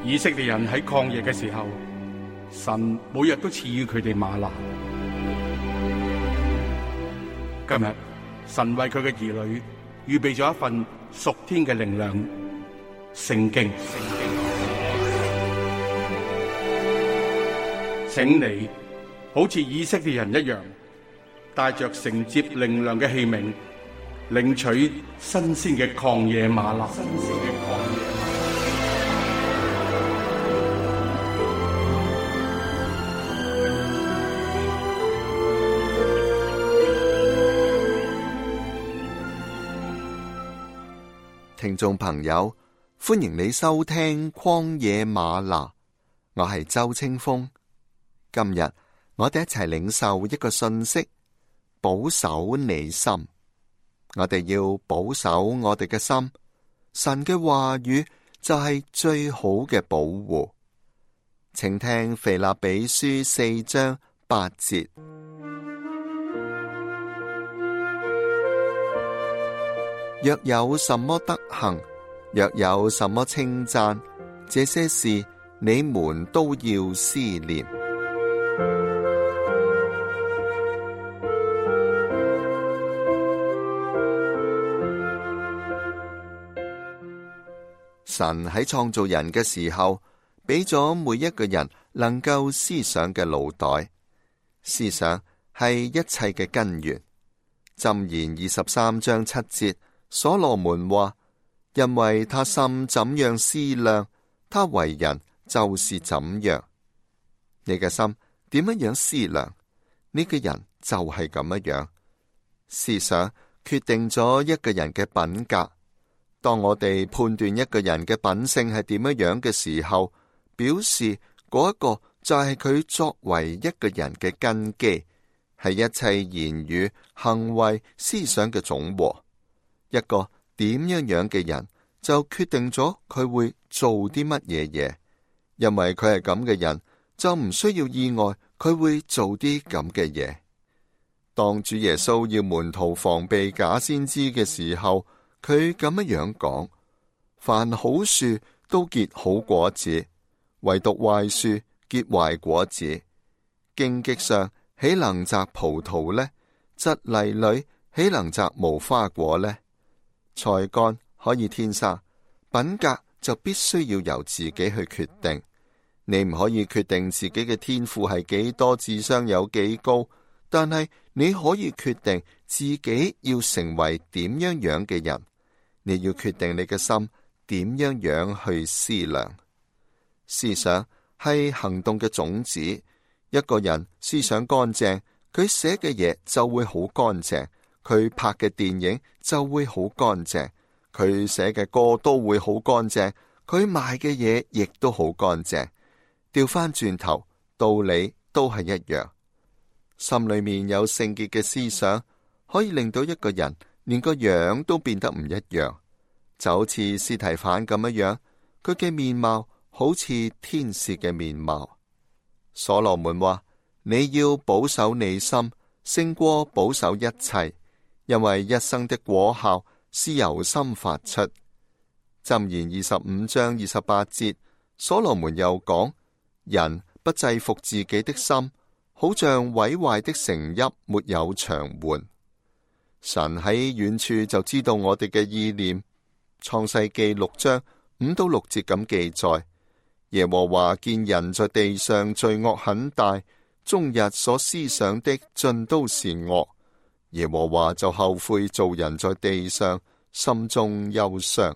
以色列人喺曠野嘅時候，神每日都賜予佢哋嗎哪。今日神為佢嘅兒女預備咗一份屬天嘅靈糧——聖經。請你好似以色列人一樣，帶着承接靈糧嘅器皿，領取新鮮嘅曠野嗎哪。聽眾朋友，歡迎你收聽曠野嗎哪，我係周清風。今日我哋一齊領受一個信息：保守你心。我哋要保守我哋嘅心，神嘅話語就係最好嘅保護。請聽腓立比書4章8節。若有什麼德行，若有什麼稱讚，這些事你們都要思念。神喺創造人嘅時候，俾咗每一個人能夠思想嘅腦袋。思想係一切嘅根源。箴言23章7節。所羅門話：因為他心怎樣思量，他為人就是怎樣。你嘅心點樣思量，呢個人就係咁樣。思想決定咗一個人嘅品格。當我哋判斷一個人嘅品性係點樣嘅時候，表示嗰一個就係佢作為一個人嘅根基，係一切言語、行為、思想嘅總和。一個點樣嘅人就決定咗佢會做啲乜嘢，因為佢係咁嘅人，就唔需要意外佢會做啲咁嘅嘢。當主耶穌要門徒防備假先知嘅時候，佢咁樣講：凡好樹都結好果子，唯獨壞樹結壞果子。荊棘上豈能摘葡萄呢？蒺藜裏豈能摘無花果呢？才幹可以天生，品格就必須要由自己去決定。你唔可以決定自己嘅天賦係幾多，智商有幾高，但係你可以決定自己要成為點樣嘅人。你要決定你嘅心點樣去思量。思想係行動嘅種子。一個人思想乾淨，佢寫嘅嘢就會好乾淨。佢拍嘅電影就會好乾淨，佢寫嘅歌都會好乾淨，佢賣嘅嘢亦都好乾淨。調翻轉頭，道理都係一樣。心裏面有聖潔嘅思想，可以令到一個人連個樣都變得唔一樣。就好似司提反咁樣，佢嘅面貌好似天使嘅面貌。所羅門話：你要保守你心，勝過保守一切。因為一生的果效是由心發出。箴言25章28節，所羅門又講：人不制服自己的心，好像毀壞的城邑沒有牆垣。神喺遠處就知道我哋嘅意念。創世記6章5到6節咁記載：耶和華見人在地上罪惡很大，終日所思想的盡都是惡。耶和華就後悔造人在地上，心中憂傷。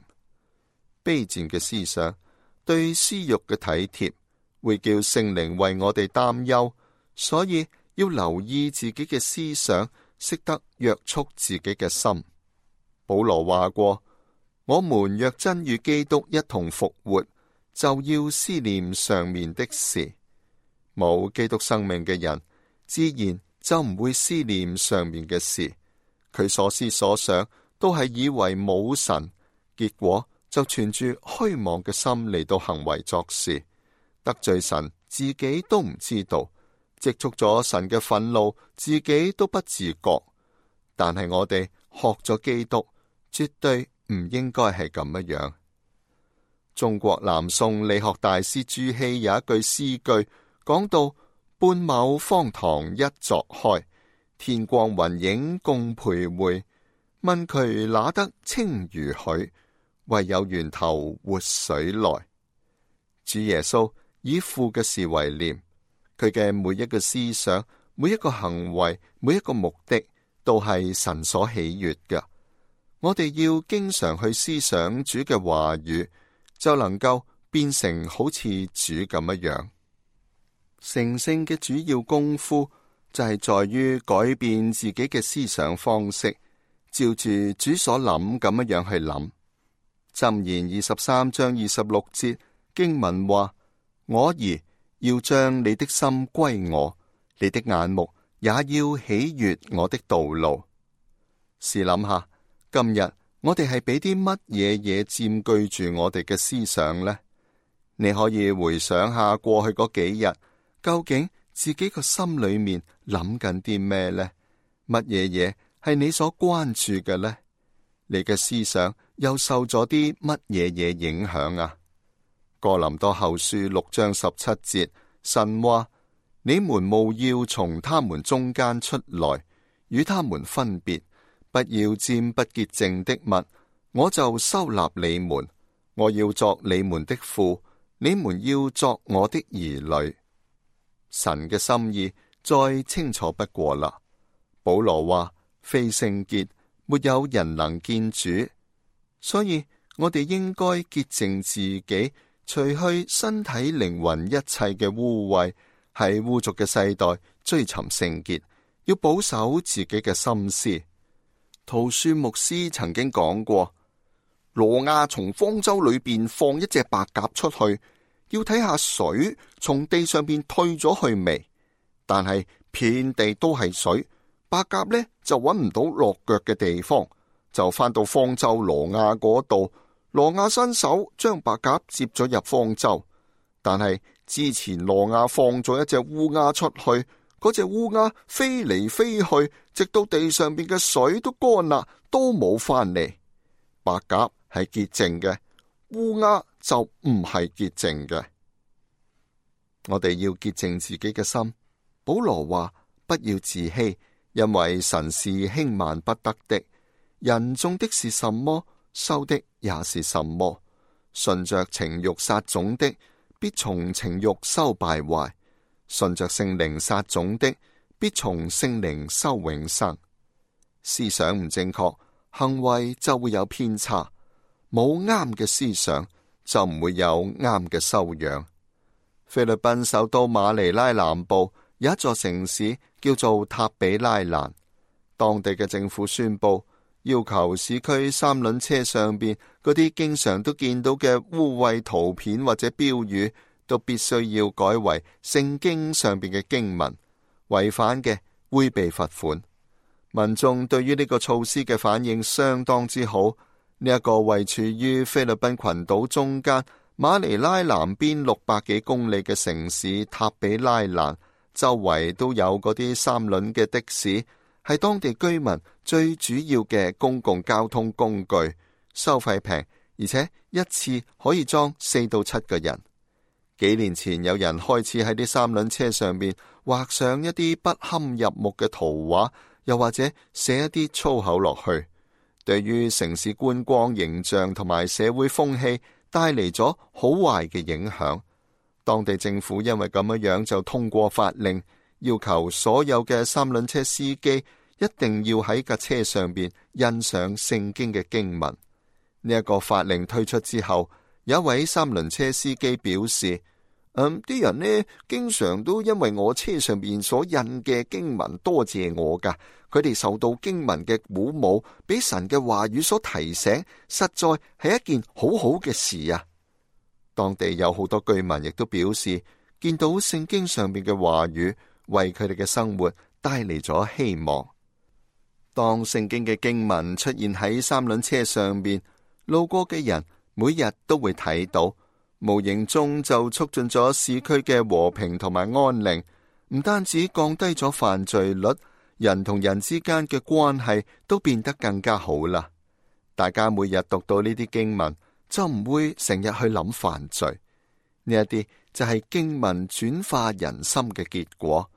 卑賤嘅思想，對私欲嘅體貼，會叫聖靈為我哋擔憂，所以要留意自己嘅思想，識得約束自己嘅心。保羅話過：我們若真與基督一同復活，就要思念上面的事。冇基督生命嘅人，自然就唔會思念上面嘅事，佢所思所想都係以為冇神，結果就存住虛妄嘅心嚟到行為作事，得罪神自己都唔知道，積蓄咗神嘅憤怒自己都不自覺。但係我哋學咗基督，絕對唔應該係咁樣。中國南宋理學大師朱熹有一句詩句，講到半畝方塘一鑿開，天光雲影共徘徊。問渠哪得清如許，唯有源頭活水來。主耶穌以父嘅事為念，佢嘅每一個思想、每一個行為、每一個目的，都係神所喜悅嘅。我哋要經常去思想主嘅話語，就能夠變成好似主咁一樣。成聖嘅主要功夫就係在於改變自己嘅思想方式，照住主所諗咁樣去諗。箴言23章26節經文話：我兒要將你的心歸我，你的眼目也要喜悅我的道路。試諗下，今日我哋係俾啲乜嘢佔據住我哋嘅思想呢？你可以回想下過去嗰幾日，究竟自己個心裏面諗緊啲咩呢？乜嘢係你所關注嘅呢？你嘅思想又受咗啲乜嘢影響啊？哥林多後書6章17節，神話：你們務要從他們中間出來，與他們分別，不要沾不潔淨的物，我就收納你們。我要作你們的父，你們要作我的兒女。神嘅心意再清楚不過啦。保羅話：非聖潔，沒有人能見主。所以我哋應該潔淨自己，除去身體靈魂一切嘅污穢，喺污濁嘅世代追尋聖潔，要保守自己嘅心思。陶恕牧師曾經講過，挪亞從方舟裏邊放一隻白鴿出去，要睇下水從地上邊退咗去未，但係遍地都係水，白鴿呢就揾唔到落腳嘅地方，就返到方舟挪亞嗰度。挪亞伸手將白鴿接咗入方舟，但係之前挪亞放咗一隻烏鴉出去，嗰隻烏鴉飛嚟飛去，直到地上邊嘅水都乾啦，都冇返嚟。白鴿係潔淨嘅，烏鴉就唔係潔淨嘅。我哋要潔淨自己嘅心。保羅話：不要自欺，因為神是輕慢不得的。人種的是什麼，收的也是什麼。順着情欲撒種的，必從情欲收敗壞；順着聖靈撒種的，必從聖靈收永生。思想唔正確，行為就會有偏差。冇啱嘅思想，就唔會有啱嘅修養。菲律賓首都馬尼拉南部有一座城市叫做塔比拉蘭，當地嘅政府宣布，要求市區三輪車上邊嗰啲經常都見到嘅污穢圖片或者標語，都必須要改為聖經上邊嘅經文，違反嘅會被罰款。民眾對於呢個措施嘅反應相當之好。呢一個位處於菲律賓群島中間，馬尼拉南邊600幾公里嘅城市塔比拉蘭，周圍都有嗰啲三輪嘅的士，係當地居民最主要嘅公共交通工具，收費平，而且一次可以裝4到7個人。幾年前有人開始喺啲三輪車上面畫上一啲不堪入目嘅圖畫，又或者寫一啲粗口落去，對於城市觀光形象同埋社會風氣帶嚟咗好壞嘅影響。當地政府因為咁樣就通過法令，要求所有嘅三輪車司機一定要喺架車上邊印上聖經嘅經文。呢一個法令推出之後，有一位三輪車司機表示，啲人呢經常都因為我車上邊所印嘅經文多謝我噶，佢哋受到經文嘅鼓舞，俾神嘅話語所提醒，實在係一件好好嘅事啊！當地有好多居民亦都表示，見到聖經上面嘅話語，為佢哋嘅生活帶嚟咗希望。當聖經嘅經文出現喺三輪車上邊，路過嘅人每日都會睇到，無形中就促進咗市區嘅和平同埋安寧，唔單止降低咗犯罪率，人同人之間嘅關係都變得更加好啦。大家每日讀到呢啲經文，就唔會成日去諗犯罪。呢一啲就係經文轉化人心嘅結果。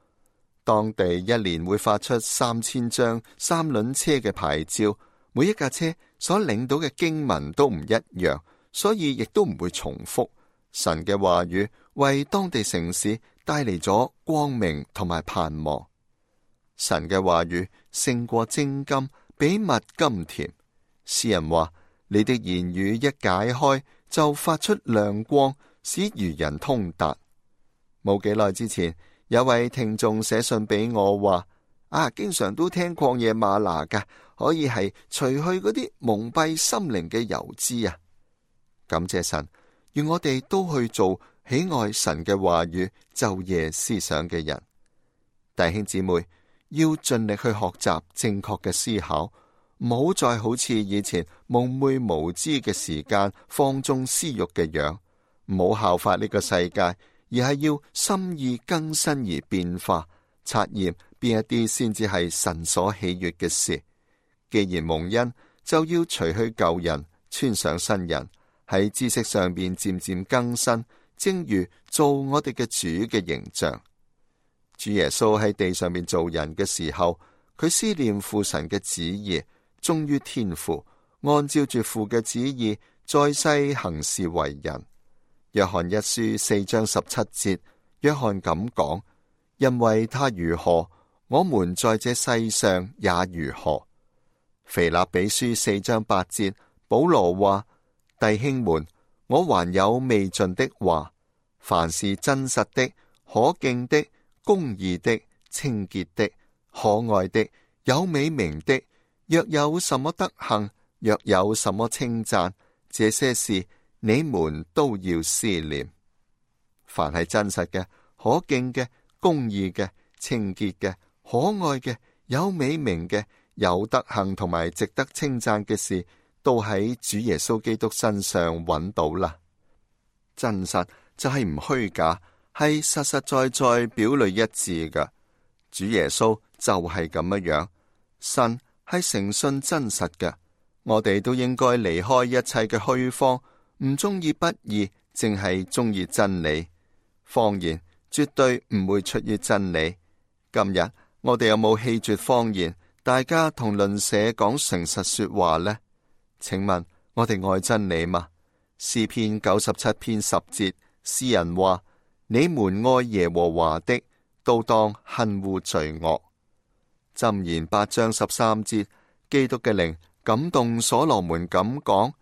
當地一年會發出3000張三輪車嘅牌照，每一架車所領到嘅經文都唔一樣，所以亦都唔會重複。神嘅話語為當地城市帶嚟咗光明同埋盼望。神嘅話語勝過精金，比蜜甘甜。詩人話：你的言語一解開，就發出亮光，使愚人通達。冇幾耐之前，有位聽眾寫信俾我話：經常都聽曠野嗎哪噶，可以係除去嗰啲蒙蔽心靈嘅油脂啊！感謝神，願我哋都去做喜愛神嘅話語、晝夜思想嘅人。弟兄姊妹，要盡力去學習正確嘅思考，唔好再好似以前蒙昧無知嘅時間放縱私欲嘅樣，唔好效法呢個世界，而係要心意更新而變化，察驗邊一啲先至係神所喜悅嘅事。既然蒙恩，就要除去舊人，穿上新人，喺知識上邊漸漸更新，正如做我哋嘅主嘅形象。主耶穌喺地上面做人嘅時候，佢思念父神嘅旨意，忠於天父，按照住父嘅旨意，在世行事為人。約翰一書4章17節，約翰咁講：因為他如何，我們在這世上也如何。腓立比書4章8節，保羅話：弟兄們，我還有未盡的話，凡是真實的、可敬的、公義的、清潔的、可愛的、有美名的，若有什麼德行，若有什麼稱讚，這些事你們都要思念。凡係真實嘅、可敬嘅、公義嘅、清潔嘅、可愛嘅、有美名嘅、有德行同埋值得稱讚嘅事，都喺主耶穌基督身上揾到啦。真實就係唔虛假，係實實在在表裏一致嘅。主耶穌就係咁樣，神係誠信真實嘅。我哋都應該離開一切嘅虛謊，唔中意不義，淨係中意真理。謊言絕對唔會出於真理。今日我哋有冇棄絕謊言？大家同鄰舍講誠實說話呢？請問我哋愛真理嗎？詩篇97篇10節，詩人話：你們愛耶和華的，都當恨惡罪惡。箴言8章13節，基督嘅靈感動所羅門咁講：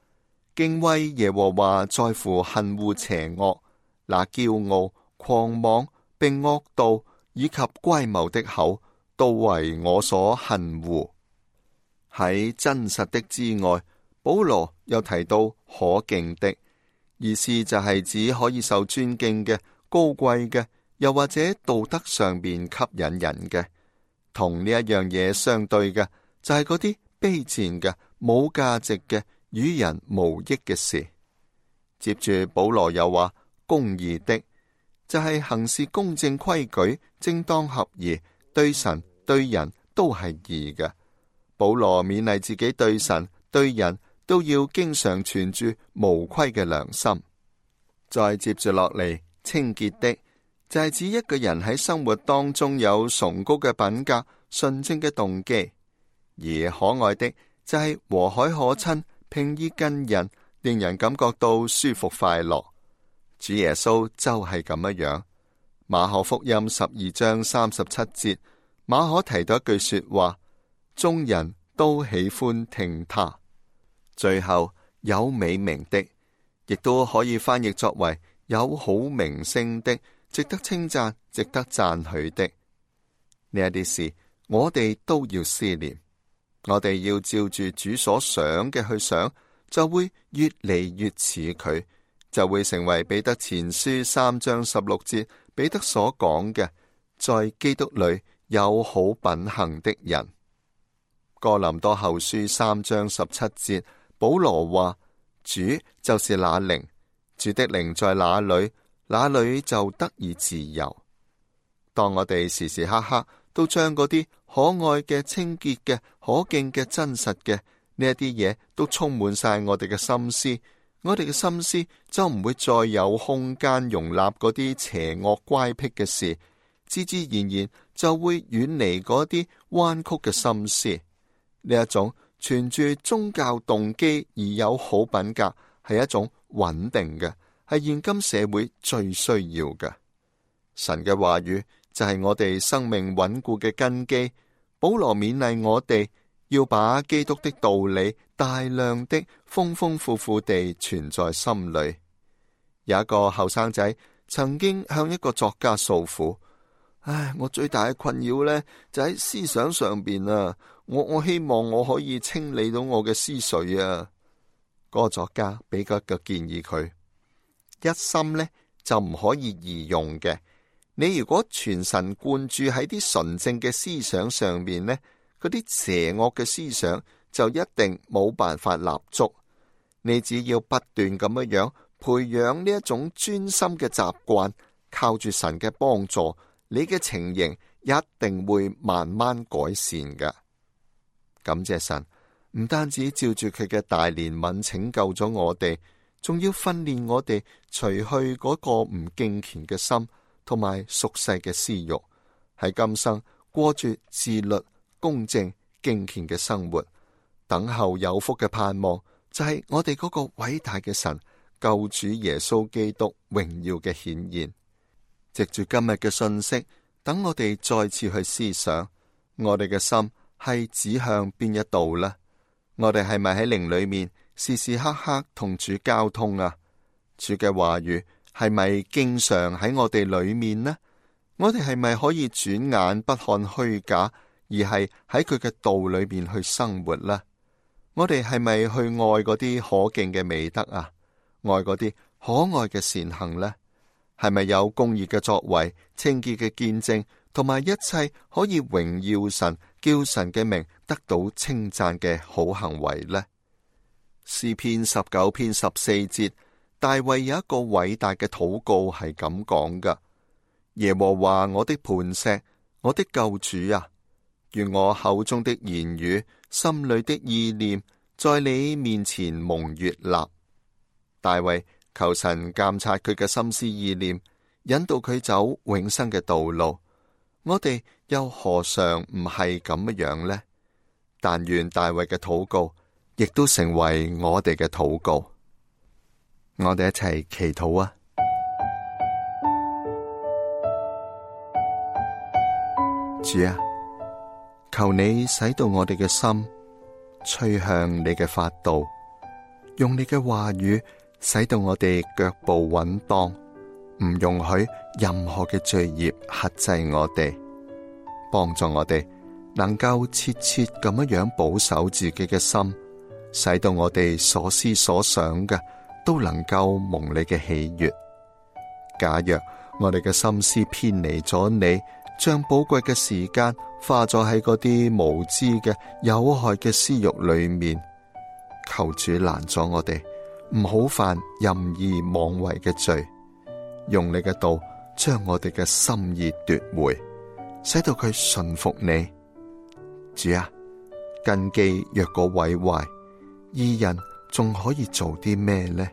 敬畏耶和華在乎恨惡邪惡，那驕傲、狂妄並惡道以及乖謬的口，都為我所恨惡。喺真實的之外，保羅又提到可敬的，意思就係指可以受尊敬嘅、高貴嘅，又或者道德上邊吸引人嘅。同呢一樣嘢相對嘅，就係嗰啲卑賤嘅、冇價值嘅、與人無益嘅事。接住保羅又話公義的，就係行事公正規矩、正當合宜，對神對人都係義嘅。保羅勉勵自己對神對人都要經常存住無虧嘅良心。再接住落嚟，清潔的就係指一個人喺生活當中有崇高嘅品格、純正嘅動機；而可愛的就係和藹可親、平易近人，令人感覺到舒服快樂。主耶穌就係咁樣。馬可福音12章37節，馬可提到一句說話：眾人都喜歡聽他。最後有美名的，亦都可以翻譯作為有好名聲的，值得稱讚、值得讚許的。呢一啲事，我哋都要思念。我哋要照住主所想嘅去想，就會越嚟越似佢，就會成為彼得前書3章16節彼得所講嘅，在基督裏有好品行的人。哥林多後書3章17節，保羅話：主就是那靈，主的靈在哪裏，那裏就得以自由。當我哋時時刻刻都將嗰啲可愛嘅、清潔嘅、可敬嘅、真實嘅呢一啲嘢都充滿晒我哋嘅心思，我哋嘅心思就唔會再有空間容納嗰啲邪惡乖僻嘅事，自自然然就會遠離嗰啲彎曲嘅心思。呢一種存住宗教動機而有好品格，係一種穩定嘅，係現今社會最需要嘅。神嘅話語就係我哋生命穩固嘅根基。保羅勉勵我哋要把基督的道理大量的豐豐富富地存在心裏。有一個後生仔曾經向一個作家訴苦：我最大嘅困擾呢，就喺思想上邊啊！我希望我可以清理到我嘅思緒啊！嗰個作家俾個建議佢：一心呢就唔可以二用嘅。你如果全神貫注喺啲純正嘅思想上面呢，嗰啲邪惡嘅思想就一定冇辦法立足。你只要不斷咁樣培養呢一種專心嘅習慣，靠住神嘅幫助，你嘅情形一定會慢慢改善嘅。感謝神，唔單止照住佢嘅大憐憫拯救咗我哋，仲要訓練我哋除去嗰個唔敬虔嘅心同埋俗世嘅私欲，喺今生過住自律、公正、敬虔嘅生活，等候有福嘅盼望，就係我哋嗰個偉大嘅神救主耶穌基督榮耀嘅顯現。藉住今日嘅信息，等我哋再次去思想，我哋嘅心係指向邊一度呢？我哋係咪喺靈裏面時時刻刻同主交通啊？主嘅話語係咪經常喺我哋裏面呢？我哋係咪可以轉眼不看虛假，而係喺佢嘅道裏面去生活呢？我哋係咪去愛嗰啲可敬嘅美德啊？愛嗰啲可愛嘅善行呢？係咪有公義嘅作為、清潔嘅見證，同埋一切可以榮耀神、叫神嘅名得到稱讚嘅好行為呢？詩篇19篇14節，大衛有一個偉大嘅禱告係咁講噶：耶和華我的磐石，我的救主啊，願我口中的言語、心裏的意念，在你面前蒙悅納。大衛求神監察佢嘅心思意念，引導佢走永生嘅道路。我哋又何嘗唔係咁樣呢？但願大衛嘅禱告亦都成為我哋嘅禱告。我哋一齊祈禱啊！主啊，求你使到我哋嘅心趨向你嘅法度，用你嘅話語使到我哋腳步穩當，唔容許任何嘅罪孽克制我哋，幫助我哋能夠切切咁樣保守自己嘅心，使到我哋所思所想嘅都能夠蒙你嘅喜悅。假若我哋嘅心思偏離咗你，將寶貴嘅時間花咗喺嗰啲無知嘅有害嘅私欲裏面，求主攔阻我哋，唔好犯任意妄為嘅罪，用你嘅道將我哋嘅心意奪回，使到佢順服你。主啊，根基若果毀壞，義人仲可以做啲咩呢？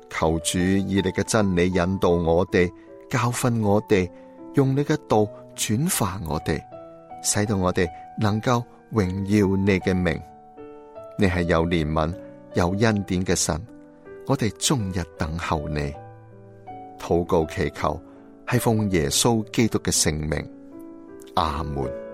求主以你嘅真理引導我哋，教訓我哋，用你嘅道轉化我哋，使到我哋能夠榮耀你嘅名。你係有憐憫、有恩典嘅神，我哋終日等候你。禱告祈求係奉耶穌基督嘅聖名，阿門。